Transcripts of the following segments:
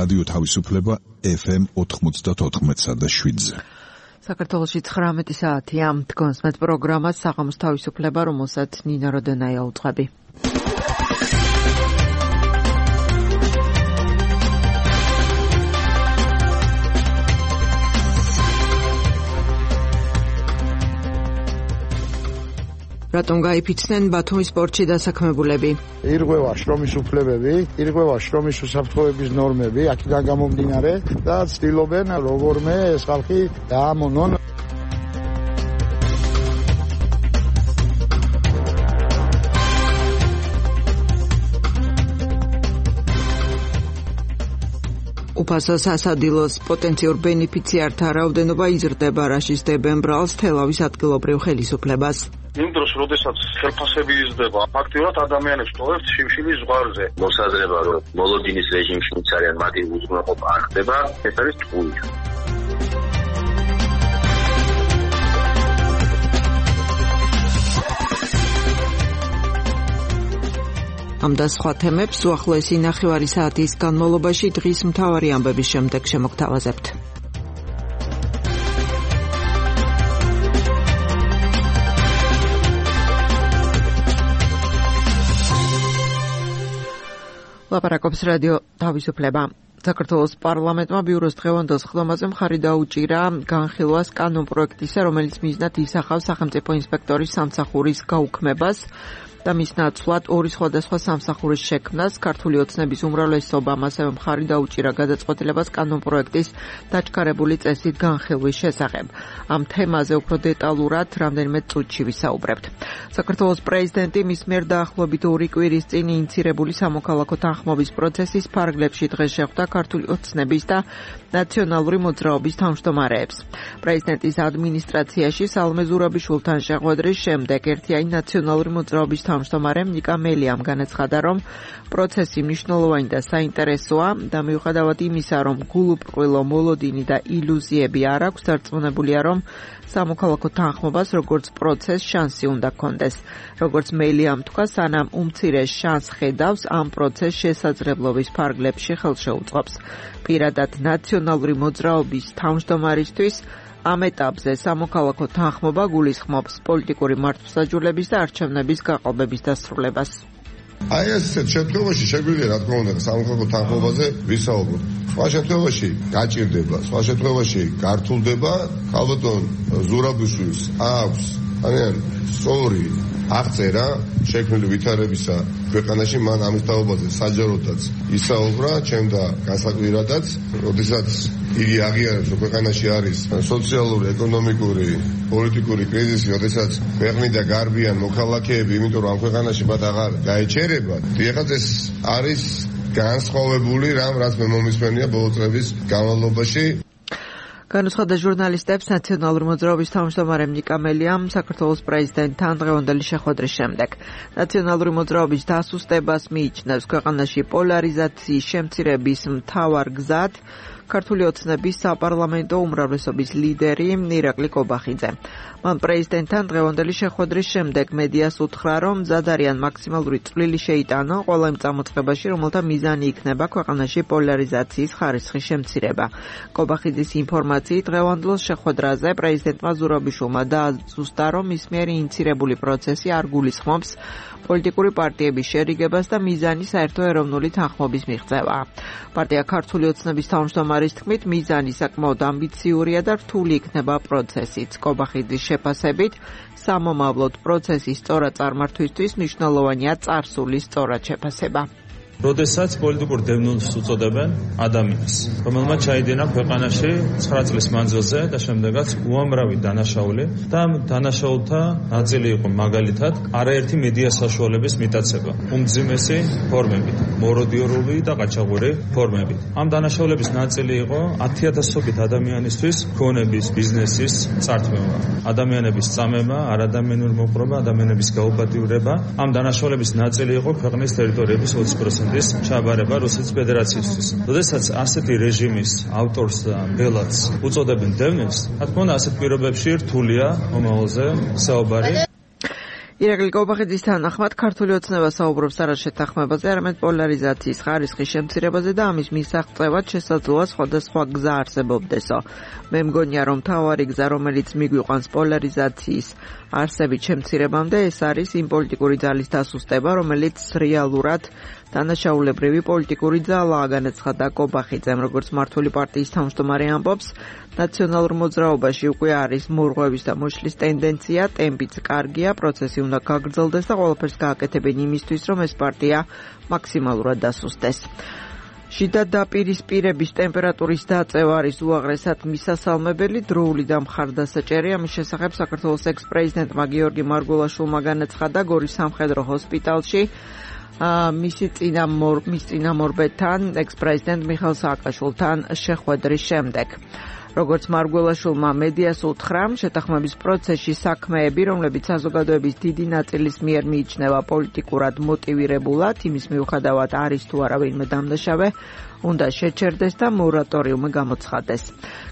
რადიო თავისუფლება FM 94.7-ზე. საქართველოში 19 საათია. დგონს მეტ პროგრამას საღამოს თავისუფლება, რომელსაც ნინა როდენაია უძღვები. რატომ გაიფიცნენ ბათუმის პორტში დასაქმებულები? ირღვევა შრომის უფლებები, ირღვევა შრომის უსაფრთხოების ნორმები, აქედან გამომდინარე და ცდილობენ როგორმე ეს ხალხი დაამონონ. უფასო სასადილოს პოტენციურ ბენეფიციართა რაოდენობა იზრდება, რაში სდებენ ბრალს თელავის ადგილობრივ ხელისუფლებას. იმ დროს, როდესაც ხელფასები იზრდება, ფაქტიურად ადამიანებს ტოვებთ შიმშილის ზღვარზე. მოსაზრება, რომ მოლოდინის რეჟიმში არიან მათი უზრუნველყოფა არ ხდება, ეს არის ტყუილი. ამ და სხვა თემებს უახლოესი ნახევარი საათის განმავლობაში დღის მთავარი ამბების შემდეგ შემოგთავაზებთ. ლაპარაკობს რადიო თავისუფლება. საქართველოს პარლამენტმა ბიუროს დღევანდელ სხდომაზე მხარი დაუჭირა განხილვას კანონპროექტისა, რომელიც მიზნად ისახავს სახელმწიფო ინსპექტორის სამსახურის გაუქმებას და მის ნაცვლად ორი სხვადასხვა სამსახურის შექმნას. ქართული ოცნების უმრავლესობამ ასევე მხარი დაუჭირა გადაწყვეტილებას კანონპროექტის დაჩქარებული წესით განხილვის შესახებ. ამ თემაზე უფრო დეტალურად რამდენიმე წუთში ვისაუბრებთ. საქართველოს პრეზიდენტი მის მიერ დაახლოებით 2 კვირის წინ ინიცირებული სამოქალაქო თანხმობის პროცესის ფარგლებში დღეს შეხვდა ქართული ოცნების და ნაციონალური მოძრაობის თავმჯდომარეებს. პრეზიდენტის ადმინისტრაციაში სალომე ზურაბიშვილთან შეხვედრის შემდეგ ერთიანი ნაციონალური მოძრაობის თავმჯდომარემ ნიკა მელიამ განაცხადა, რომ პროცესი მნიშვნელოვანი და საინტერესოა და მიუხედავად იმისა, რომ გულუბრყვილო მოლოდინი და ილუზიები არ აქვს, დარწმუნებულია, რომ სამოქალაქო თანხმობას როგორც პროცესს შანსი უნდა ჰქონდეს. როგორც მელიამ თქვა, სანამ უმცირეს შანსს ხედავს, ამ პროცესს შესაძლებლობის ფარგლებში ხელშეუწყობს. პირადად ნაციონალური მოძრაობის თავმჯდომარისთვის ამ ეტაპზე სამოქალაქო თანხმობა გულისხმობს პოლიტიკური მართლმსაჯულების და არჩევნების გაყალბების დასრულებას. აი ესეთ შემთხვევაში შეგვიძლია რა თქმა უნდა სამოქალაქო თანხმობაზე ვისაუბროთ. სხვა შემთხვევაში გაჭირდება, სხვა შემთხვევაში გართულდება. ალბათონ ზურაბიშვილს აქვს სწორი აღწერა შექმნილი ვითარებისა ქვეყანაში, მან ამის თაობაზე საჯაროდაც ისაუბრა, ჩემ და განსაკვირადაც, როდესაც იგი აღიარებს, რომ ქვეყანაში არის სოციალური, ეკონომიკური, პოლიტიკური კრიზისი, როდესაც ქვეყნიდან გარბიან მოქალაქეები, იმიტომ რომ ამ ქვეყანაში მათ აღარ გაეჩერებათ. ეხლა ეს არის განსხვავებული რამ, რაც მე მომისმენია ბოლო წლების განმავლობაში. განუცხადა ჟურნალისტებს ნაციონალური მოძრაობის თავმჯდომარე ნიკა მელიამ საქართველოს პრეზიდენტთან დღევანდელი შეხვედრის შემდეგ. ნაციონალური მოძრაობის დასუსტებას მიიჩნევს ქვეყანაში პოლარიზაციის შემცირების მთავარ გზად ქართული ოცნების საპარლამენტო უმრავლესობის ლიდერი ირაკლი კობახიძე. მან პრეზიდენტთან დღევანდელი შეხვედრის შემდეგ მედიას უთხრა, რომ მზად არიან მაქსიმალური წვლილი შეიტანონ ყველა იმ წამოწყებაში, რომელთა მიზანი იქნება ქვეყანაში პოლარიზაციის ხარისხის შემცირება. კობახიძის ინფორმაციით დღევანდელ შეხვედრაზე პრეზიდენტმა ზურაბიშვილმა დააზუსტა, რომ მის მიერ ინიცირებული პროცესი არ გულისხმობს პოლიტიკური პარტიების შერიგებას და მიზანი საერთო ეროვნული თანხმობის მიღწევა. პარტია ქართული ოცნების თავმჯდომარის თქმით, მიზანი საკმაოდ ამბიციურია და რთული იქნება პროცესიც. კობახიძის შეფასებით, სამომავლოდ პროცესის სწორად წარმართვისთვის მნიშვნელოვანია წარსულის სწორად შეფასება. როდესაც პოლიტიკურ დევნილს უწოდებენ ადამიანს, რომელმაც ჩაიდინა ქვეყანაში 9 წლის მანძილზე და შემდეგაც უამრავი დანაშაული და ამ დანაშაულთა ნაწილი იყო მაგალითად არაერთი მედია საშუალების მიტაცება, უმძიმესი ფორმებით, მოროდიორული და ყაჩაღური ფორმებით. ამ დანაშაულების ნაწილი იყო 10,000-ობით ადამიანისთვის ქონების, ბიზნესის წართმევა, ადამიანების წამება, არადამიანური მოპყრობა, ადამიანების გაუბადიურება. ამ დანაშაულების ნაწილი იყო ქვეყნის ტერიტორიების 20% ჩაბარება რუსეთის ფედერაციისთვის. როდესაც ასეთი რეჟიმის ავტორს და ბელადს უწოდებენ დევნილს, რა თქმა უნდა ასეთ პირობებში რთულია მომავალზე საუბარი. ირაკლი კობახიძის თანახმად ქართული ოცნება საუბრობს არა შეთანხმებაზე, არამედ პოლარიზაციის ხარისხის შემცირებაზე და ამის მისაღწევად შესაძლოა სხვადასხვა გზა არსებობდესო. მე მგონია, რომ მთავარი გზა, რომელიც მიგვიყვანს პოლარიზაციის არსებით შემცირებამდე, ეს არის იმ პოლიტიკური ძალის დასუსტება, რომელიც რეალურად დანაშაულებრივი პოლიტიკური ძალაა, განაცხადა კობახიძემ, როგორც მართული პარტიის თავმჯდომარე ამბობს. ნაციონალურ მოძრაობაში უკვე არის მორღვევის და მოშლის ტენდენცია, ტემპიც კარგია, პროცესი უნდა გაგრძელდეს და ყველაფერს გააკეთებენ იმისთვის, რომ ეს პარტია მაქსიმალურად დასუსტდეს. შიდა დაპირისპირების ტემპერატურის დაწევა არის უაღრესად მისასალმებელი, დროული და მხარდასაჭერი. ამის შესახებ საქართველოს ექს-პრეზიდენტმა გიორგი მარგველაშვილმა განაცხადა გორის სამხედრო ჰოსპიტალში მის წინამორბედთან ექს-პრეზიდენტ მიხეილ სააკაშვილთან შეხვედრის შემდეგ. როგორც მარგველაშვილმა მედიას უთხრა, შეთანხმების პროცესში საქმეები, რომლებიც საზოგადოების დიდი ნაწილის მიერ მიიჩნევა პოლიტიკურად მოტივირებულად, იმის მიუხედავად არის თუ არა ვინმე დამნაშავე, უნდა შეჩერდეს და მორატორიუმი გამოცხადდეს.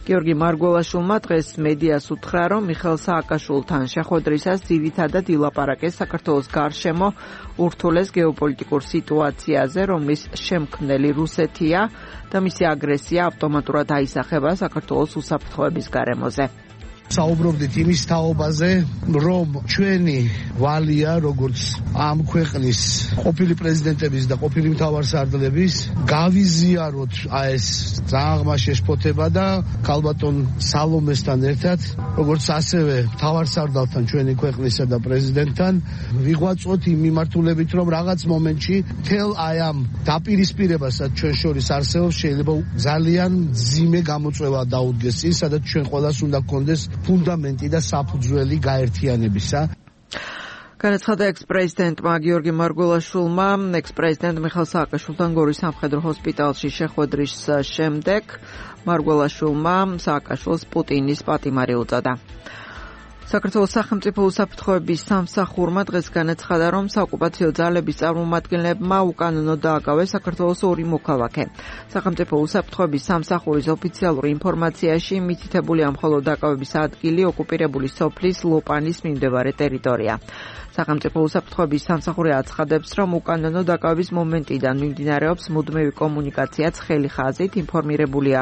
გიორგი მარგველაშვილმა დღეს მედიას უთხრა, რომ მიხეილ სააკაშვილთან შეხვედრისას ძირითადად ილაპარაკეს საქართველოს გარშემო ურთულეს გეოპოლიტიკურ სიტუაციაზე, რომლის შემქმნელი რუსეთია და მისი აგრესია ავტომატურად აისახება საქართველოს უსაფრთხოების გარემოზე. საუბრობდით იმის თაობაზე, რომ ჩვენი ვალია, როგორც ამ ქვეყნის ყოფილი პრეზიდენტების და ყოფილი მთავარსარდლების, გავიზიაროთ ეს ძალიან ღრმა შეშფოთება და ქალბატონ სალომესთან ერთად, როგორც ასევე მთავარსარდალთან ჩვენი ქვეყნისა და პრეზიდენტთან, ვიღვაწოთ იმ მიმართულებით, რომ რაღაც მომენტში თელ აი ამ დაპირისპირებასაც ჩვენ შორის არსებობს, შეიძლება ძალიან მძიმე გამოწვევა დაუდგეს წინ, სადაც ჩვენ ყველას უნდა გქონდეს ფუნდამენტი და საფუძველი გაერთიანებისა. განაცხადა ექს-პრეზიდენტმა გიორგი მარგველაშვილმა ექს-პრეზიდენტ მიხეილ სააკაშვილთან გორის სამხედრო ჰოსპიტალში შეხვედრის შემდეგ. მარგველაშვილმა სააკაშვილს პუტინის პატიმარი უწოდა. საქართველოს სახელმწიფო უსაფრთხოების სამსახურმა დღეს განაცხადა, რომ საოკუპაციო ძალების წარმომადგენლებმა უკანონო დააკავეს საქართველოს ორი მოქალაქე. სახელმწიფო უსაფრთხოების სამსახურის ოფიციალურ ინფორმაციაში მითითებულია მხოლოდ დაკავების ადგილი ოკუპირებული სოფლის ლოპანის მიმდებარე ტერიტორია. სახელმწიფო უსაფრთხოების სამსახური აცხადებს, რომ უკანონო დაკავების მომენტიდან მიმდინარეობს მუდმივი კომუნიკაცია ცხელი ხაზით, ინფორმირებულია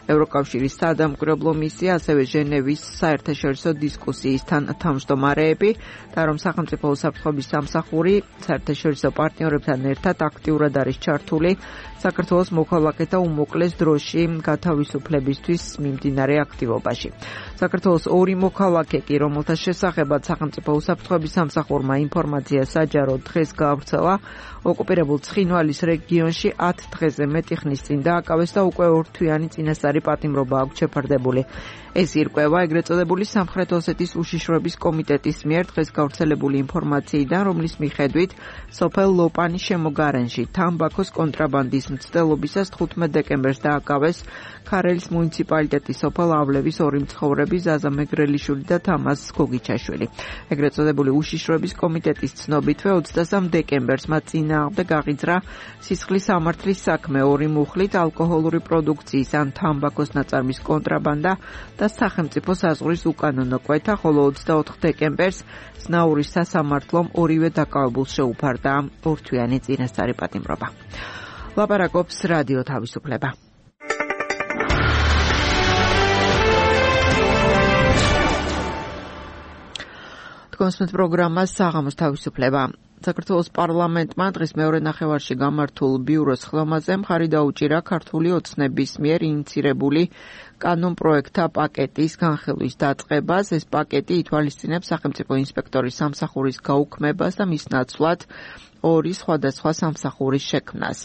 ევროკავშირის საადამკვირვებლო მისია, ასევე ჟენევის საერთაშორისო დისკუსიის თავმჯდომარეები და რომ სახელმწიფო უსაფრთხოების სამსახური საერთაშორისო პარტნიორებთან ერთად აქტიურად არის ჩართული საქართველოს მოქალაქეთა უმოკლეს დროში გათავისუფლებისთვის მიმდინარე აქტივობაში. საქართველოს ორი მოქალაქე კი, რომელთა შესახებაც სახელმწიფო უსაფრთხოების სამსახურმა ინფორმაცია საჯაროდ დღეს გაავრცელა, ოკუპირებულ ცხინვალის რეგიონში 10 დღეზე მეტი ხნის წინ დააკავეს და უკვე ორთვიანი წინასწარი პატიმრობა აქვს შეფარდებული. ეს ირკვევა ეგრეთ წოდებული სამხრეთ ოსეთის უშიშროების კომიტეტის მიერ დღეს გავრცელებული ინფორმაციიდან, რომლის მიხედვით სოფელ ლოპანის შემოგარენში თამბაქოს კონტრაბანდის მცდელობისას 15 დეკემბერს დააკავეს ქარელის მუნიციპალიტეტის სოფელ ავლევის ორი მცხოვრები ზაზა მეგრელიშვილი და თამაზ გოგიჩაშვილი. ეგრეთ წოდებული უშიშროების კომიტეტის ცნობითვე 23 დეკემბერს მათ წინააღმდეგ აღიძრა სისხლის სამართლის საქმე ორი მუხლით ალკოჰოლური პროდუქციის ან თამბაქოს ნაწარმის კონტრაბანდა და სახელმწიფო საზღვრის უკანონო კვეთა, ხოლო 24 დეკემბერს ზნაურის სასამართლომ ორივე დაკავებულს შეუფარდა ორთვიანი წინასწარი პატიმრობა. ლაპარაკობს რადიო თავისუფლება. თქვენს პროგრამას საღამოს თავისუფლება. საქართველოს პარლამენტმა დღეს მეორე ნახევარში გამართულ ბიუროს ხილამაზე მხარი დაუჭირა ქართული ოცნების მიერ ინიცირებული კანონპროექტთა პაკეტის განხილვის დაწყებას. ეს პაკეტი ითვალისწინებს სახელმწიფო ინსპექტორის სამსახურის გაუქმებას და მის ნაცვლად ორი სხვადასხვა სამსახურის შექმნას.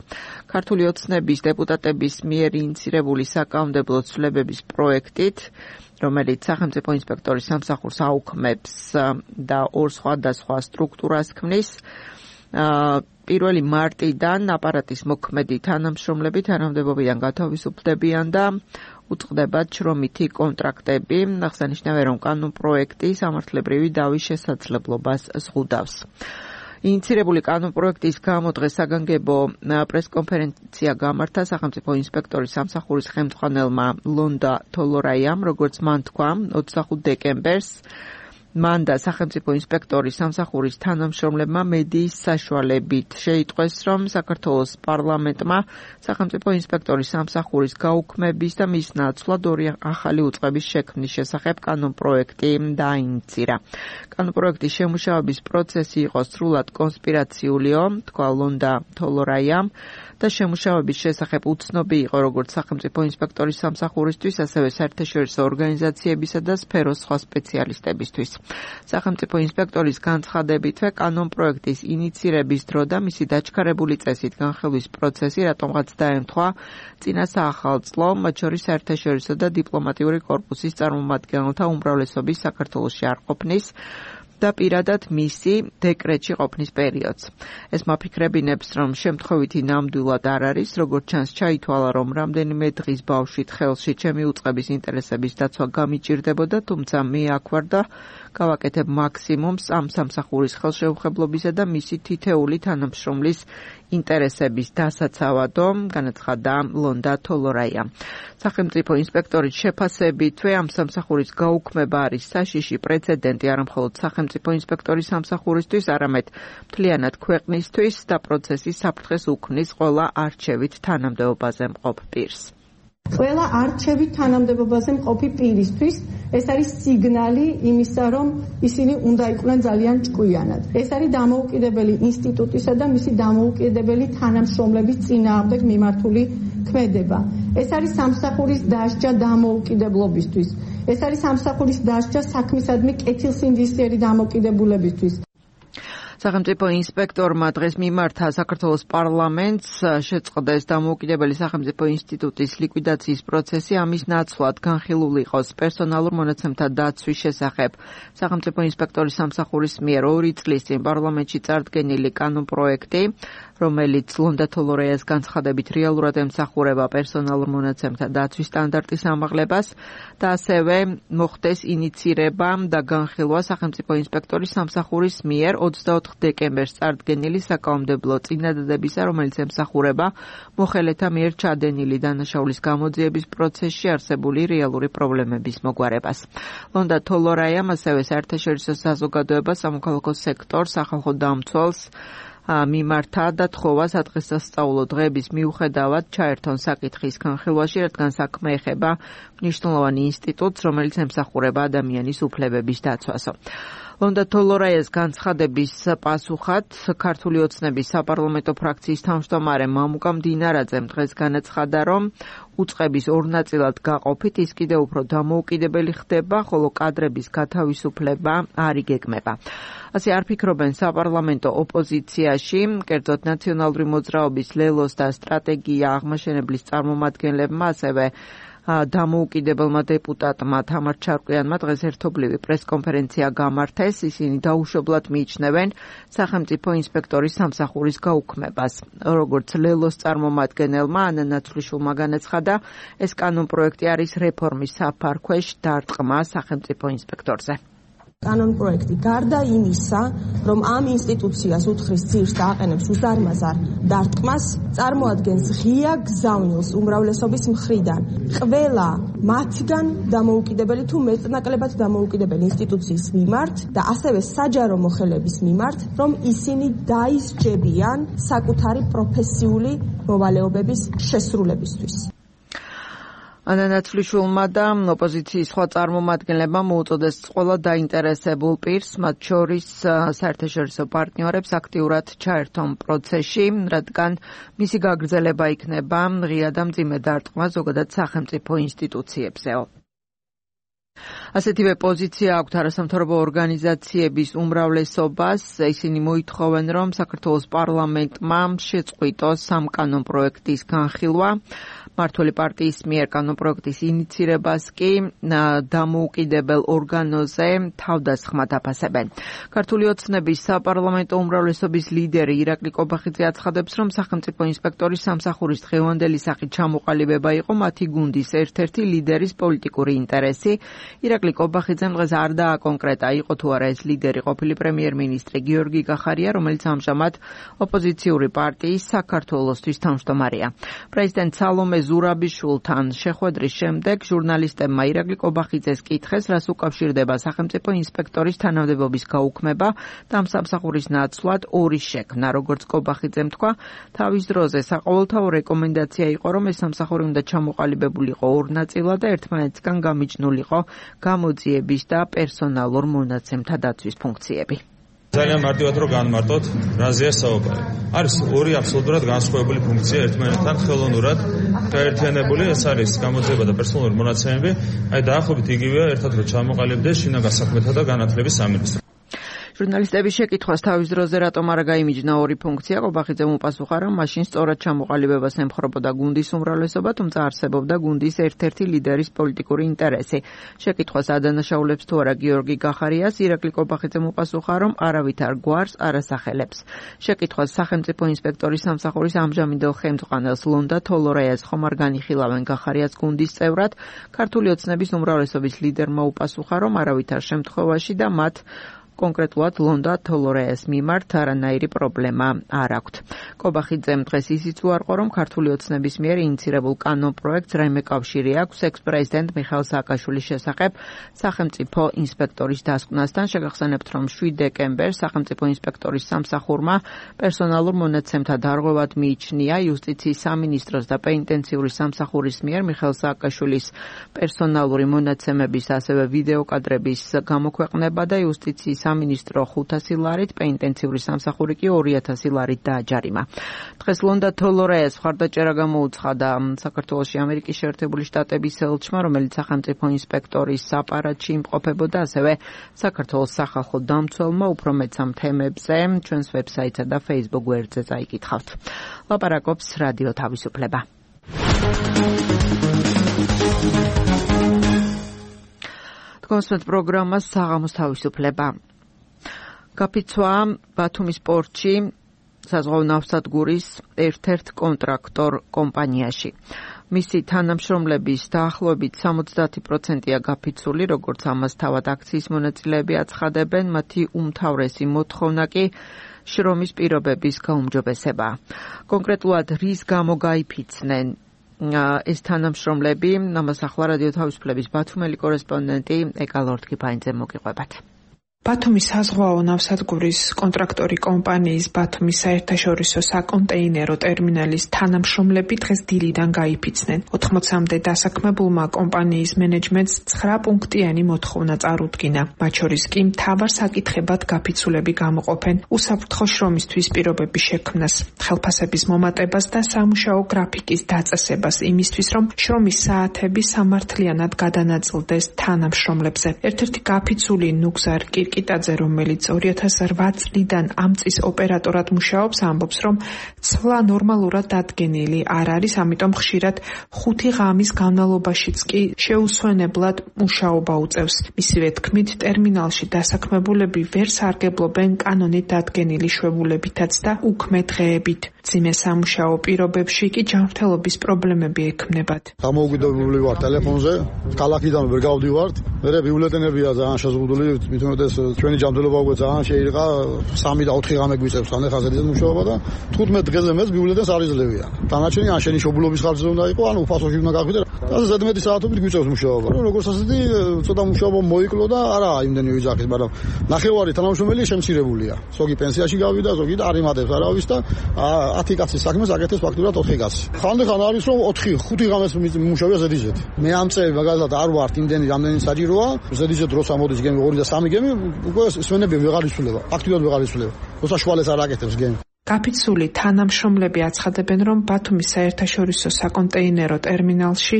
ქართული ოცნების დეპუტატების მიერ ინიცირებული საკანონმდებლო ცვლილებების პროექტით, რომელიც სახელმწიფო ინსპექტორის სამსახურს აუქმებს და ორ სხვადასხვა სტრუქტურას ქმნის, 1 მარტიდან აპარატის მოქმედი თანამშრომლები თანამდებობიდან გათავისუფლდებიან და უწყდებათ შრომითი კონტრაქტები. აღსანიშნავია, რომ კანონპროექტი სამართლებრივი დავის შესაძლებლობას ზღუდავს. ინიცირებული კანონპროექტის გამო დღეს საგანგებო პრესკონფერენცია გამართა სახელმწიფო ინსპექტორის სამსახურის ხელმძღვანელმა ლონდა თოლორაიამ, როგორც მან თქვა, 25 დეკემბერს მან და სახელმწიფო ინსპექტორის სამსახურის თანამშრომლებმა მედიის საშუალებით შეიტყვეს, რომ საქართველოს პარლამენტმა სახელმწიფო ინსპექტორის სამსახურის გაუქმების და მის ნაცვლად ორი ახალი უწყების შექმნის შესახებ კანონპროექტი დაინიცირა. კანონპროექტის შემუშავების პროცესი იყო სრულად კონსპირაციულიო, თქვა ლონდა თოლორაიამ და შემუშავების შესახებ უცნობი იყო როგორც სახელმწიფო ინსპექტორის სამსახურისთვის, ასევე საერთაშორისო ორგანიზაციებისა და სფეროს სხვა სპეციალისტებისთვის. სახელმწიფო ინსპექტორის განცხადებითვე კანონპროექტის ინიცირების დრო და მისი დაჩქარებული წესით განხილვის პროცესი რატომღაც დაემთხვა წინა საახალწლო, მათ შორის საერთაშორისო და დიპლომატიური კორპუსის წარმომადგენელთა უმრავლესობის საქართველოში არ ყოფნის და პირადად მისი დეკრეტში ყოფნის პერიოდს. ეს მაფიქრებინებს, რომ შემთხვევითი ნამდვილად არ არის, როგორც ჩანს ჩაითვალა, რომ რამდენიმე დღის ბავშვით ხელში ჩემი უწყების ინტერესების დაცვა გამიჭირდებოდა, თუმცა მე აქ ვარ და გავაკეთებ მაქსიმუმს ამ სამსახურის ხელშეუხებლობისა და მისი თითეული თანამშრომლის ინტერესების დასაცავადო, განაცხადა ლონდა თოლორაია. სახელმწიფო ინსპექტორის შეფასებითვე ამ სამსახურის გაუქმება არის საშიში პრეცედენტი არამხოლოდ სახელმწიფო ინსპექტორის სამსახურისთვის, არამედ მთლიანად ქვეყნისთვის და პროცესის საფრთხეს უქმნის ყველა არჩევით თანამდებობაზე მყოფ პირს. ყველა არჩევით თანამდებობაზე მყოფი პირისთვის ეს არის სიგნალი იმისა, რომ ისინი უნდა იყვნენ ძალიან ჭკვიანად. ეს არის დამოუკიდებელი ინსტიტუტისა და მისი დამოუკიდებელი თანამშრომლების წინააღმდეგ მიმართული ქმედება. ეს არის სამსახურის დასჯა დამოუკიდებლობისთვის. ეს არის სამსახურის დასჯა საქმისადმი კეთილსინდისიერი დამოუკიდებულებისთვის. სახელმწიფო ინსპექტორმა დღეს მიმართა საქართველოს პარლამენტს შეწყდეს დამოუკიდებელი სახელმწიფო ინსტიტუტის ლიკვიდაციის პროცესი, ამის ნაცვლად განხილული იყოს პერსონალურ მონაცემთა დაცვის შესახებ. სახელმწიფო ინსპექტორის სამსახურის მიერ 2 წლის წინ პარლამენტში წარდგენილი კანონპროექტი, რომელიც ლონდა თოლორაიას განცხადებით რეალურად ემსახურება პერსონალურ მონაცემთა დაცვის სტანდარტის ამაღლებას და ასევე მოხდეს ინიცირება და განხილვა სახელმწიფო ინსპექტორის სამსახურის მიერ 24 დეკემბერს წარდგენილი საკანონმდებლო წინადადებისა, რომელიც ემსახურება მოხელეთა მიერ ჩადენილი დანაშაულის გამოძიების პროცესში არსებული რეალური პრობლემების მოგვარებას. ლონდა თოლორაიამ ასევე საერთაშორისო საზოგადოებას, სამოქალაქო სექტორს, სახალხო დამცველს მიმართა და თხოვა სადღესასწაულო დღეების მიუხედავად ჩაერთონ საკითხის განხილვაში, რადგან საქმე ეხება მნიშვნელოვანი ინსტიტუტს, რომელიც ემსახურება ადამიანის უფლებების დაცვასო. ლონდა თოლორაიას განცხადების პასუხად ქართული ოცნების საპარლამენტო ფრაქციის თავმჯდომარე მამუკა მდინარაძემ დღეს განაცხადა, რომ უწყების ორ ნაწილად გაყოფით ის კიდევ უფრო დამოუკიდებელი ხდება, ხოლო კადრების გათავისუფლება არ იგეგმება. ასე არ ფიქრობენ საპარლამენტო ოპოზიციაში, კერძოდ ნაციონალური მოძრაობის ლელოს და სტრატეგია აღმაშენებლის წარმომადგენლებმა, ასევე დამოუკიდებელმა დეპუტატმა თამარ ჩარკვიანმა დღეს ერთობლივი პრესკონფერენცია გამართეს. ისინი დაუშვებლად მიიჩნევენ სახელმწიფო ინსპექტორის სამსახურის გაუქმებას. როგორც ლელოს წარმომადგენელმა ანა ნაცვლიშვილმა განაცხადა, ეს კანონპროექტი არის რეფორმის საფარქვეშ დარტყმა სახელმწიფო ინსპექტორზე. კანონპროექტი გარდა იმისა, რომ ამ ინსტიტუციას უთხრის ძირს და აყენებს უზარმაზარ დარტყმას, წარმოადგენს ღია გზავნილს უმრავლესობის მხრიდან. ყველა მათგან დამოუკიდებელი თუ მეტნაკლებად დამოუკიდებელი ინსტიტუციის მიმართ და ასევე საჯარო მოხელების მიმართ, რომ ისინი დაისჯებიან საკუთარი პროფესიული მოვალეობების შესრულებისთვის. ანა ნაცვლიშვილმა და ოპოზიციის სხვა წარმომადგენლებმა მოუწოდეს ყველა დაინტერესებულ პირს, მათ შორის საერთაშორისო პარტნიორებს აქტიურად ჩაერთონ პროცესში, რადგან მისი გაგრძელება იქნება ღია და მძიმე დარტყმა ზოგადად სახელმწიფო ინსტიტუციებზეო. ასეთივე პოზიცია აქვთ არასამთავრობო ორგანიზაციების უმრავლესობას. ისინი მოითხოვენ, რომ საქართველოს პარლამენტმა შეწყვიტოს ამ კანონპროექტის განხილვა. მმართველი პარტიის მიერ კანონპროექტის ინიცირებას კი დამოუკიდებელ ორგანოზე თავდასხმად აფასებენ. ქართული ოცნების საპარლამენტო უმრავლესობის ლიდერი ირაკლი კობახიძე აცხადებს, რომ სახელმწიფო ინსპექტორის სამსახურის დღევანდელი სახით ჩამოყალიბება იყო მათი გუნდის ერთ-ერთი ლიდერის პოლიტიკური ინტერესი. ირაკლი კობახიძემ დღეს არ დააკონკრეტა, იყო თუ არა ეს ლიდერი ყოფილი პრემიერ-მინისტრი გიორგი გახარია, რომელიც ამჟამად ოპოზიციური პარტიის საქართველოსთვის თავმჯდომარეა. პრეზიდენტ სალომე ზურაბიშვილთან შეხვედრის შემდეგ ჟურნალისტებმა ირაკლი კობახიძეს კითხეს, რას უკავშირდება სახელმწიფო ინსპექტორის თანამდებობის გაუქმება და ამ სამსახურის ნაცვლად ორი შექმნა. როგორც კობახიძემ თქვა, თავის დროზე საყოველთაო რეკომენდაცია იყო, რომ ეს სამსახური უნდა ჩამოყალიბებულიყო ორ ნაწილად და ერთმანეთისგან გამიჯნულიყო გამოძიების და პერსონალურ მონაცემთა დაცვის ფუნქციები. ძალიან მარტივად რო განმარტოთ, რაზეა საუბარი. არის ორი აბსოლუტურად განსხვავებული ფუნქცია ერთმანეთთან ხელოვნურად გაერთიანებული, ეს არის გამოძიება და პერსონალური მონაცემები, აი დაახლოებით იგივეა ერთად რო ჩამოყალიბდეს შინაგან საქმეთა და განათლების სამინისტრო. ჟურნალისტების შეკითხვას თავის დროზე რატომ არ გაიმიჯნა ორი ფუნქცია, კობახიძემ უპასუხა, რომ მაშინ სწორად ჩამოყალიბებას ემხრობოდა გუნდის უმრავლესობა, თუმცა არსებობდა გუნდის ერთ-ერთი ლიდერის პოლიტიკური ინტერესი. შეკითხვას ადანაშაულებს თუ არა გიორგი გახარიას, ირაკლი კობახიძემ უპასუხა, რომ არავითარ გვარს არ ასახელებს. შეკითხვას სახელმწიფო ინსპექტორის სამსახურის ამჟამინდელ ხელმძღვანელს ლონდა თოლორაიას ხომ არ განიხილავენ გახარიას გუნდის წევრად, ქართული ოცნების უმრავლესობის ლიდერმა უპასუხა, რომ არავითარ შემთხვევაში და მათ კონკრეტულად ლონდა თოლორაიას მიმართ არანაირი პრობლემა არ აქვთ. კობახიძემ დღეს ისიც უარყო, რომ ქართული ოცნების მიერ ინიცირებულ კანონ პროექტს რაიმე კავშირი აქვს ექს-პრეზიდენტ მიხეილ სააკაშვილის შესახებ სახელმწიფო ინსპექტორის დასკვნასთან. შეგახსენებთ, რომ 7 დეკემბერს სახელმწიფო ინსპექტორის სამსახურმა პერსონალურ მონაცემთა დარღვევად მიიჩნია იუსტიციის სამინისტროს და პენიტენციური სამსახურის მიერ მიხეილ სააკაშვილის პერსონალური მონაცემების, ასევე ვიდეო კადრების გამოქვეყნება და იუსტიციის სამინისტრო 500 ლარით, პენიტენციური სამსახური კი 2000 ლარით დააჯარიმა. დღეს ლონდა თოლორაიას მხარდაჭერა გამოუცხადა საქართველოში ამერიკის შეერთებული შტატების ელჩმა, რომელიც სახელმწიფო ინსპექტორის აპარატში იმყოფებოდა, ასევე საქართველოს სახალხო დამცველმა. უფრო მეტ ამ თემებზე ჩვენს ვებსაიტსა და Facebook გვერდზე წაიკითხავთ. ლაპარაკობს რადიო თავისუფლება. კონსერტ პროგრამა საღამოს თავისუფლება. გაფიცვა ბათუმის პორტში საზღვაო ნავსადგურის ერთ-ერთ კონტრაქტორ კომპანიაში. მისი თანამშრომლების დაახლოებით 70%-ია გაფიცული, როგორც ამას თავად აქციის მონაწილეები აცხადებენ, მათი უმთავრესი მოთხოვნა კი შრომის პირობების გაუმჯობესება. კონკრეტულად რის გამო გაიფიცნენ ეს თანამშრომლები, ამას ახლა რადიო თავისუფლების ბათუმელი კორესპონდენტი ეკა ლორთქიფანიძე მოგიყვებათ. ბათუმის საზღვაო ნავსადგურის კონტრაქტორი კომპანიის ბათუმის საერთაშორისო საკონტეინერო ტერმინალის თანამშრომლები დღეს დილიდან გაიფიცნენ. 80-მდე დასაქმებულმა კომპანიის მენეჯმენტს 9 პუნქტიანი მოთხოვნა წარუდგინა. მათ შორის კი მთავარ საკითხებად გაფიცულები გამოყოფენ უსაფრთხო შრომისთვის პირობების შექმნას, ხელფასების მომატებას და სამუშაო გრაფიკის დაწესებას იმისთვის, რომ შრომის საათები სამართლიანად გადანაწილდეს თანამშრომლებზე. ერთ-ერთი გაფიცული ნუგზარ კირკიტაძე, რომელიც 2008 წლიდან ამ წის ოპერატორად მუშაობს, ამბობს, რომ ცვლა ნორმალურად დადგენილი არ არის, ამიტომ ხშირად 5 ღამის განმავლობაშიც კი შეუსვენებლად მუშაობა უწევს. მისივე თქმით, ტერმინალში დასაქმებულები ვერ სარგებლობენ კანონით დადგენილი შვებულებითაც და უქმე დღეებით. მძიმე სამუშაო პირობებში კი ჯანმრთელობის პრობლემები ექმნებათ. დამოუკიდებლები ვარ ტელეფონზე, ქალაქიდან ვერ გავდივართ, მე ბიულეტენებია ძალიან შეზღუდული, მithumetes ჩვენი ჯანმრთელობა უკვე ძალიან შეირყა, 3 და 4 ღამე გვიწევს ანეხაზედით მუშაობა და 15 დღეზე მეც ბიულეტენს არ იძლევიან. დანარჩენი ან შენი შობილობის ხარჯზე უნდა იყო, ან უფასოში უნდა გახვიდე. და ზედმეტი საათობით გვიწევს მუშაობა. როგორც ასეთი ცოტა მუშაობა მოიკლო და არა იმდენი ვიძახის, მაგრამ ნახევარი თანამშრომელი შემცირებულია. ზოგი პენსიაში გავიდა, ზოგი და არ იმატებს არავის და 10 კაცის საქმეს აკეთებს ფაქტურად 4 კაცი. ხანდახან არის რომ 4-5 ღამეს მუშაობია ზედიზედ. მე ამ წელი მაგალითად არ ვარ იმდენი რამდენი საჭიროა, ზედიზედ როცა მოდის გემი 2 და 3 გემი, უკვე სვენები ვეღარ იცვლება. ფაქტურად ვეღარ იცვლება. როცა შუალეს არ აკეთებს გემი. გაფიცული თანამშრომლები აცხადებენ, რომ ბათუმის საერთაშორისო საკონტეინერო ტერმინალში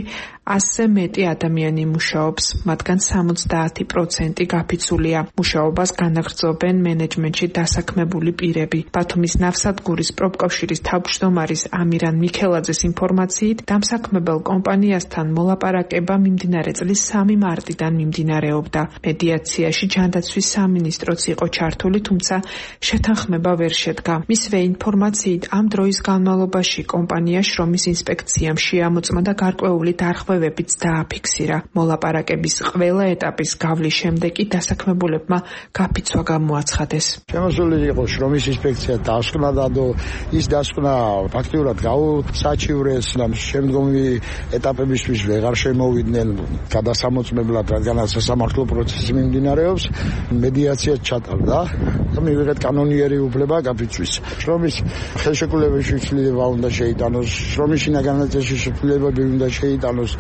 100-ზე მეტი ადამიანი მუშაობს, მათგან 70% გაფიცულია. მუშაობას განაგრძობენ მენეჯმენტში დასაქმებული პირები. ბათუმის ნავსადგურის პროფკავშირის თავმჯდომარის ამირან მიქელაძეს ინფორმაციით, დამსაქმებელ კომპანიასთან მოლაპარაკება მიმდინარე წლის 3 მარტიდან მიმდინარეობდა. მედიაციაში ჯანდაცვის სამინისტროც იყო ჩართული, თუმცა შეთანხმება ვერ შედგა. მისვე ინფორმაციით, ამ დროის განმავლობაში კომპანია შრომის ინსპექციამ შეამოწმა და გარკვეული დარღვევები დარღვევებიც დააფიქსირა. მოლაპარაკების ყველა ეტაპის გავლის შემდეგ კი დასაქმებულებმა გაფიცვა გამოაცხადეს. შემოსული იყო შრომის ინსპექცია დასკვნა და ის დასკვნა ფაქტიურად გაუსაჩივრეს და შემდგომი ეტაპებისთვის ვეღარ შემოვიდნენ გადასამოწმებლად, რადგანაც სასამართლო პროცესი მიმდინარეობს. მედიაციაც ჩატარდა და მივიღეთ კანონიერი უფლება გაფიცვის. შრომის ხელშეკრულების შეგრძნება უნდა შეიტანოს, შრომის შინაგანაწილში შეგრძნებები უნდა შეიტანოს,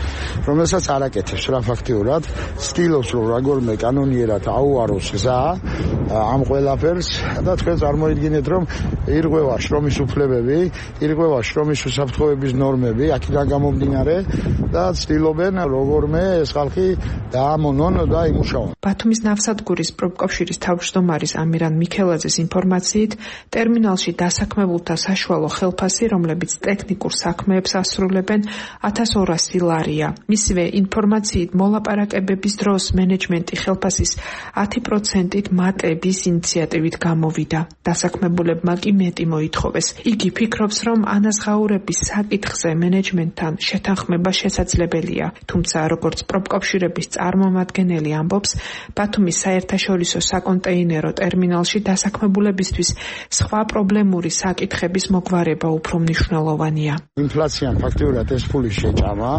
რომელსაც არ აკეთებს რა ფაქტიურად. ცდილობს რომ როგორმე კანონიერად აუაროს გზა ამ ყველაფერს და თქვენ წარმოიდგინეთ რომ ირღვევა შრომის უფლებები, ირღვევა შრომის უსაფრთხოების ნორმები, აქედან გამომდინარე და ცდილობენ როგორმე ეს ხალხი დაამონონ და იმუშაონ. ბათუმის ნავსადგურის პროფკავშირის თავმჯდომარის ამირან მიქელაძის ინფორმაციით, ტერმინალში დასაქმებულთა საშუალო ხელფასი, რომლებიც ტექნიკურ საქმეებს ასრულებენ, 1200 ლარია. მისივე ინფორმაციით, მოლაპარაკებების დროს მენეჯმენტი ხელფასის 10%-ით მატების ინიციატივით გამოვიდა. დასაქმებულებმა კი მეტი მოითხოვეს. იგი ფიქრობს, რომ ანაზღაურების საკითხზე მენეჯმენტთან შეთანხმება შესაძლებელია, თუმცა როგორც პროფკავშირების წარმომადგენელი ამბობს, ბათუმის საერთაშორისო საკონტეინერო ტერმინალში დასაქმებულებისთვის სხვა პრობლემური საკითხების მოგვარება უფრო მნიშვნელოვანია. ინფლაციამ ფაქტიურად ეს ფული შეჭამა.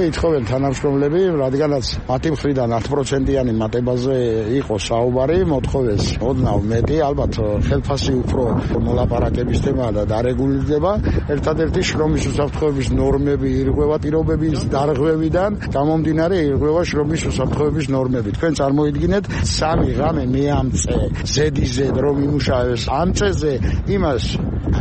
ითხოვენ თანამშრომლები, რადგანაც მათი მხრიდან 10%-იანი მატებაზე იყო საუბარი, მოთხოვეს ოდნავ მეტი, ალბათ ხელფასი უფრო მოლაპარაკების თემაა და დარეგულირდება. ერთადერთი შრომის უსაფრთხოების ნორმები ირღვევა პირობების დარღვევიდან, გამომდინარე ირღვევა შრომის უსაფრთხოების ნორმები. თქვენ წარმოიდგინეთ, 3 ღამე მე ამ ზედიზედ რომ იმუშავებს ამ წეზე, იმას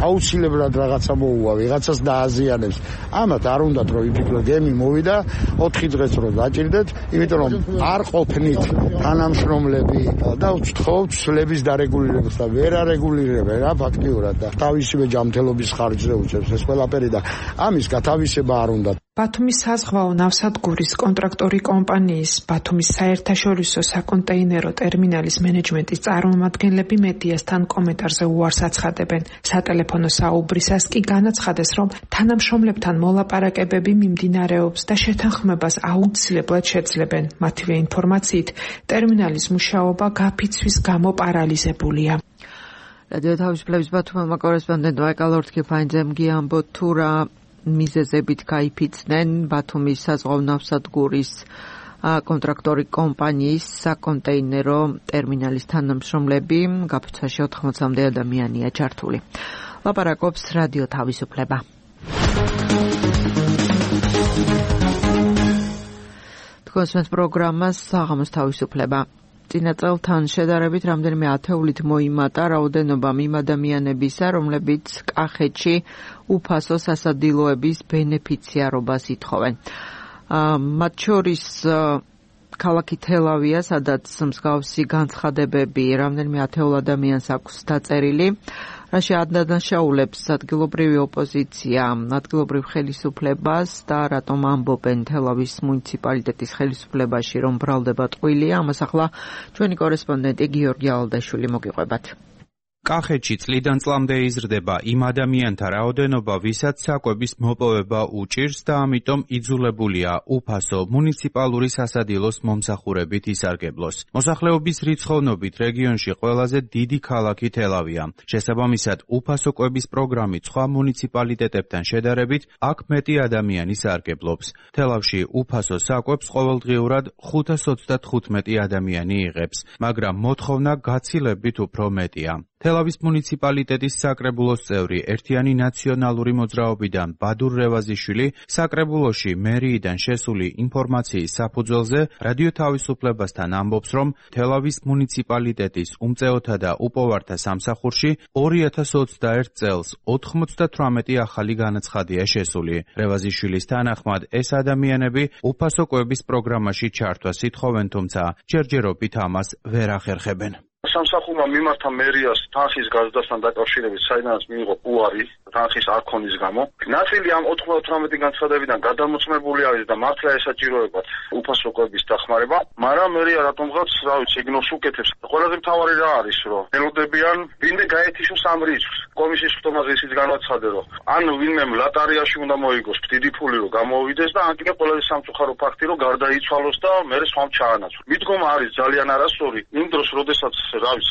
აუცილებლად რაღაცა მოუვა, ვიღაცას დააზიანებს. ამათ არ უნდათ რომ იფიქრო, გემი მოვიდა, 4 დღეს რომ დაჭირდეთ, იმიტომ რომ არ ყოფნით თანამშრომლები და ვთხოვთ ცვლების დარეგულირებას და ვერ არეგულირებენ რა ფაქტიურად და თავისივე ჯანმრთელობის ხარჯზე უწევს ეს ყველაფერი და ამის გათავისება არ უნდა. ბათუმის საზღვაო ნავსადგურის კონტრაქტორი კომპანიის ბათუმის საერთაშორისო საკონტეინერო ტერმინალის მენეჯმენტის წარმომადგენლები მედიასთან კომენტარზე უარს აცხადებენ. სატელეფონო საუბრისას კი განაცხადეს, რომ თანამშრომლებთან მოლაპარაკებები მიმდინარეობს და შეთანხმებას აუცილებლად შეძლებენ. მათივე ინფორმაციით, ტერმინალის მუშაობა გაფიცვის გამო პარალიზებულია. რადიო თავისუფლების ბათუმელმა კორესპონდენტმა ეკალორთქიფაინძემ გიამბოთ თუ რა მიზეზებით გაიფიცნენ ბათუმის საზღვაო ნავსადგურის კონტრაქტორი კომპანიის საკონტეინერო ტერმინალის თანამშრომლები, გაფიცვაში 80-მდე ადამიანია ჩართული. ლაპარაკობს რადიო თავისუფლება. თქვენს პროგრამას საღამოს თავისუფლება. წინა წელთან შედარებით რამდენიმე ათეულით მოიმატა რაოდენობა იმ ადამიანებისა, რომლებიც კახეთში უფასო სასადილოების ბენეფიციარობას ითხოვენ. მათ შორის ქალაქი თელავია, სადაც მსგავსი განცხადებები რამდენიმე ათეულ ადამიანს აქვს დაწერილი, რაში ადანაშაულებს ადგილობრივი ოპოზიცია, ადგილობრივ ხელისუფლებას და რატომ ამბობენ თელავის მუნიციპალიტეტის ხელისუფლებაში, რომ ბრალდება ტყუილია. ამას ახლა ჩვენი კორესპონდენტი გიორგი ალდაშვილი მოგიყვებათ. კახეთში წლიდან წლამდე იზრდება იმ ადამიანთა რაოდენობა, ვისაც საკვების მოპოვება უჭირს და ამიტომ იძულებულია უფასო მუნიციპალური სასადილოს მომსახურებით ისარგებლოს. მოსახლეობის რიცხოვნობით რეგიონში ყველაზე დიდი ქალაქი თელავია. შესაბამისად, უფასო კვების პროგრამით სხვა მუნიციპალიტეტებთან შედარებით აქ მეტი ადამიანი სარგებლობს. თელავში უფასო საკვებს ყოველდღიურად 525 ადამიანი იღებს, მაგრამ მოთხოვნა გაცილებით უფრო მეტია. თელავის მუნიციპალიტეტის საკრებულოს წევრი ერთიანი ნაციონალური მოძრაობიდან ბადურ რევაზიშვილი საკრებულოში მერიიდან შესული ინფორმაციის საფუძველზე რადიო თავისუფლებასთან ამბობს, რომ თელავის მუნიციპალიტეტის უმწეოთა და უპოვართა სამსახურში 2021 წელს 98 ახალი განაცხადია შესული. რევაზიშვილის თანახმად ეს ადამიანები უფასო კვების პროგრამაში ჩართვას ითხოვენ, თუმცა ჯერჯერობით ამას ვერ ახერხებენ. სამსახურმა მიმართა მერიას თანხის გაზრდასთან დაკავშირებით, საიდანაც მიიღო უარი თანხის არ ქონის გამო. ნაწილი ამ 98 განცხადებიდან გადამოწმებული არის და მართლა ესაჭიროებათ უფასო კვების დახმარება, მაგრამ მერია რატომღაც, სიგნალს უკეთებს. ყველაზე მთავარი რა არის, რომ ელოდებიან ვინმე გაეთიშოს ამ რიცხვს. კომისიის ხტომაზე ისიც განაცხადე, რომ ან ვინმემ ლატარიაში უნდა მოიგოს დიდი ფული, რომ გამოვიდეს და ან კიდე ყველაზე სამწუხარო ფაქტი, რომ გარდაიცვალოს და მერე სხვამ ჩაანაცვლოს. მიდგომა არის ძალიან არასწორი, იმ დროს, როდესაც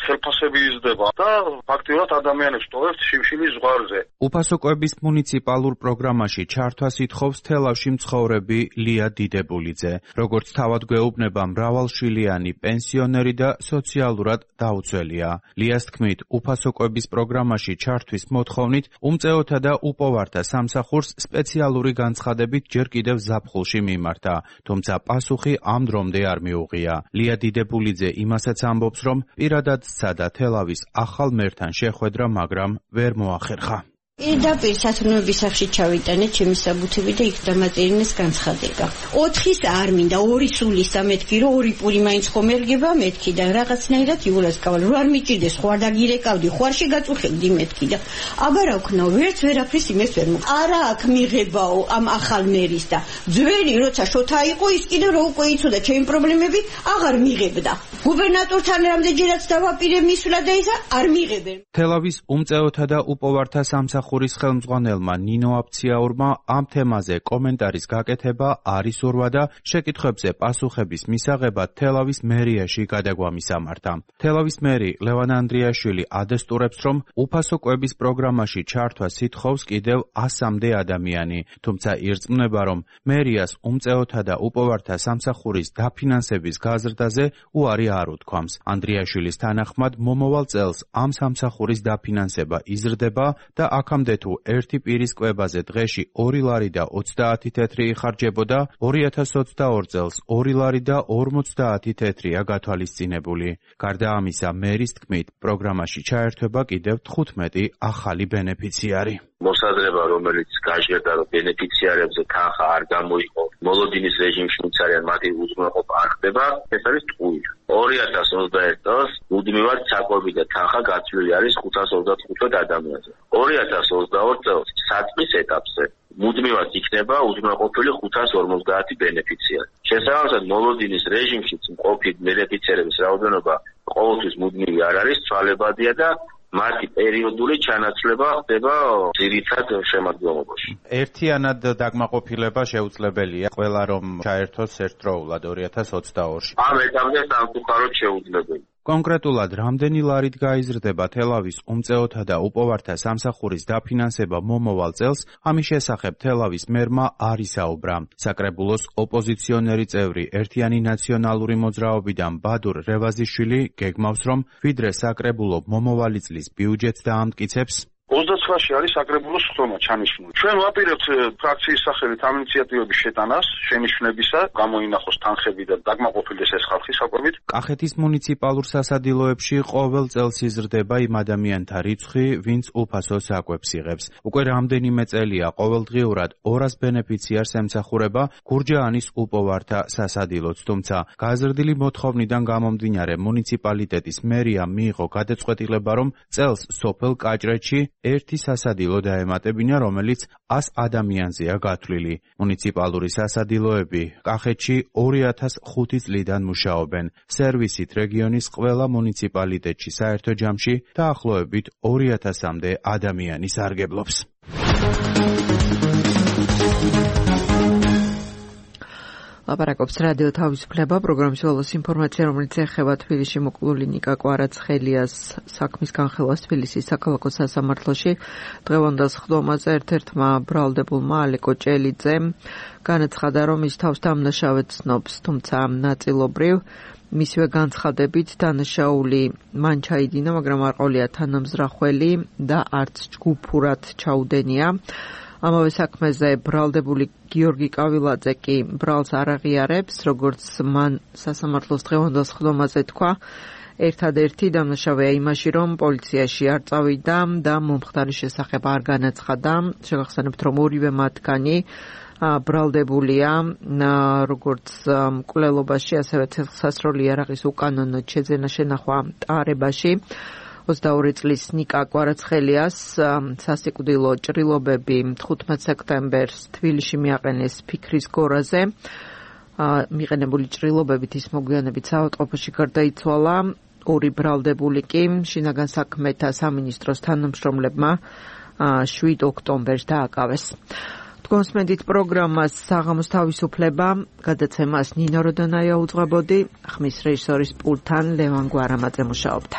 ხელფასები იზრდება და ფაქტიურად ადამიანებს ტოვებთ შიმშილის ზღვარზე. უფასო კვების მუნიციპალურ პროგრამაში ჩართვას ითხოვს თელავში მცხოვრები ლია დიდებულიძე. როგორც თავად გვეუბნება, მრავალშვილიანი პენსიონერი და სოციალურად დაუცველია. ლიას თქმით, უფასო კვების პროგრამაში ჩართვის მოთხოვნით უმწეოთა და უპოვართა სამსახურს სპეციალური განცხადებით ჯერ კიდევ ზაფხულში მიმართა, თუმცა პასუხი ამ დრომდე არ მიუღია. ლია დიდებულიძე იმასაც ამბობს, რომ პირადად სცადა თელავის ახალ მერთან შეხვედრა, მაგრამ ვერ მოახერხა. პირდაპირ სათნოების სახლში ჩავიტანე ჩემი საბუთები და იქ დამაწერინეს განცხადება. 4-ის არ მინდა, 2 სულისა მეთქი, რომ 2 პური მაინც ხომ ერგება მეთქი და რაღაცნაირად იულას კავალ. რო არ მიჭირდეს, ხო არ დაგირეკავდი, ხო არ შეგაწუხებდი მეთქი და აბარა ვქნაო, ვერაფრის იმეს ვერ მო. არა აქ მიღებაო ამ ახალ მერის და ძველი როცა შოთა იყო, ის კიდე რო უკვე იცოდა ჩემი პრობლემები, აღარ მიღებდა. გუბერნატორთან რამდენჯერაც დავაპირე მისვლა და ისა არ მიღებენ. თელავის უმწეოთა და უპოვართა სამსახურის ხელმძღვანელმა ნინო აფციაურმა ამ თემაზე კომენტარის გაკეთება არ ისურვა და შეკითხვებზე პასუხების მისაღებად თელავის მერიაში გადაგვა მისამართა. თელავის მერი ლევან ანდრიაშვილი ადესტურებს, რომ უფასო კვების პროგრამაში ჩართვას ითხოვს კიდევ 100-მდე ადამიანი, თუმცა ირწმუნება, რომ მერიას უმწეოთა და უპოვართა სამსახურის დაფინანსების გაზრდაზე უარი არ უთქვამს. ანდრიაშვილის თანახმად, მომავალ წელს ამ სამსახურის დაფინანსება იზრდება და აქამდე თუ ერთი პირის კვებაზე დღეში 2 ლარი და 30 თეთრი იხარჯებოდა, 2022 წელს 2 ლარი და 50 თეთრია გათვალისწინებული. გარდა ამისა, მერის თქმით, პროგრამაში ჩაერთვება კიდევ 15 ახალი ბენეფიციარი. მოსაზრება, რომელიც გაჟღერდა, რომ ბენეფიციარებზე თანხა არ გამოიყო, მოლოდინის რეჟიმში ვინც არიან, მათი უზრუნველყოფა არ ხდება, ეს არის ტყუილი. 2021 წელს მუდმივად საკვები და თანხა გაცვლილი არის 525 ადამიანზე. 2022 წელს საწყის ეტაპზე მუდმივად იქნება უზრუნველყოფილი 550 ბენეფიციარი. შესაბამისად, მოლოდინის რეჟიმშიც მყოფი ბენეფიციარების რაოდენობა ყოველთვის მუდმივი არ არის, ცვალებადია და მათი პერიოდული ჩანაცვლება ხდება ძირითად შემადგენლობაში. ერთიანად დაკმაყოფილება შეუძლებელია, ყველა რომ ჩაერთოს ერთდროულად 2022-ში. ამ ეტაპზე სამწუხაროდ შეუძლებელი. კონკრეტულად, რამდენი ლარით გაიზრდება თელავის უმწეოთა და უპოვართა სამსახურის დაფინანსება მომავალ წელს, ამის შესახებ თელავის მერმა არ ისაუბრა. საკრებულოს ოპოზიციონერი წევრი ერთიანი ნაციონალური მოძრაობიდან ბადურ რევაზიშვილი გეგმავს, რომ ვიდრე საკრებულო მომავალი წლის ბიუჯეტს დაამტკიცებს, 29-ში არის საკრებულოს ხტომა ჩანიშნული. ჩვენ ვაპირებთ ფრაქციის სახელით ამ ინიციატივების შეტანას, შენიშვნებისა, გამოინახოს თანხები და დაკმაყოფილდეს ეს ხალხი საკვებით. კახეთის მუნიციპალურ სასადილოებში ყოველ წელს იზრდება იმ ადამიანთა რიცხვი, ვინც უფასო საკვებს იღებს. უკვე რამდენიმე წელია ყოველდღიურად 200 ბენეფიციარს ემსახურება გურჯაანის უპოვართა სასადილოც, თუმცა გაზრდილი მოთხოვნიდან გამომდინარე მუნიციპალიტეტის მერიამ მიიღო გადაწყვეტილება, რომ წელს სოფელ კაჭრეთში ერთი სასადილო დაემატებინა, რომელიც 100 ადამიანზეა გათვლილი. მუნიციპალური სასადილოები კახეთში 2005 წლიდან მუშაობენ. სერვისით რეგიონის ყველა მუნიციპალიტეტში საერთო ჯამში დაახლოებით 2000-მდე ადამიანი სარგებლობს. ლაპარაკობს რადიო თავისუფლება, პროგრამის ველოს ინფორმაცია, რომელიც ეხება თბილისში მოკლული ნიკა კვარაცხელიას საქმის განხილვას თბილისის საქალაქო სასამართლოში. დღევანდელ ხდომაზე ერთ-ერთმა ბრალდებულმა ალეკო ჭელიძემ განაცხადა, რომ ის თავს დამნაშავედ ცნობს, თუმცა ნაწილობრივ მისივე განცხადებით დანაშაული მან ჩაიდინა, მაგრამ არ ყოლია თანამზრახველი და არც ჯგუფურად ჩაუდენია. ამავე საქმეზე ბრალდებული გიორგი კავილაძე კი ბრალს არ აღიარებს, როგორც მან სასამართლოს დღევანდელ ხდომაზე თქვა. ერთადერთი დამნაშავეა იმაში, რომ პოლიციაში არ წავიდა და მომხდარის შესახებ არ განაცხადა. შეგახსენებთ, რომ ორივე მათგანი ბრალდებულია როგორც მკვლელობაში, ასევე ცეცხლსასროლი იარაღის უკანონოდ შეძენა შენახვა ტარებაში. 22 წლის ნიკა კვარაცხელიას სასიკვდილო ჭრილობები 15 სექტემბერს თბილისში მიაყენეს ფიქრის გორაზე. მიყენებული ჭრილობებით ის მოგვიანებით საავადმყოფოში გარდაიცვალა. ორი ბრალდებული კი შინაგან საქმეთა სამინისტროს თანამშრომლებმა 7 ოქტომბერს დააკავეს. თქვენსმენდით პროგრამას საღამოს თავისუფლება, გადაცემას ნინო როდონაია უძღვებოდი, ხმის რეჟისორის პულტთან ლევან გვარამაძე მუშაობდა.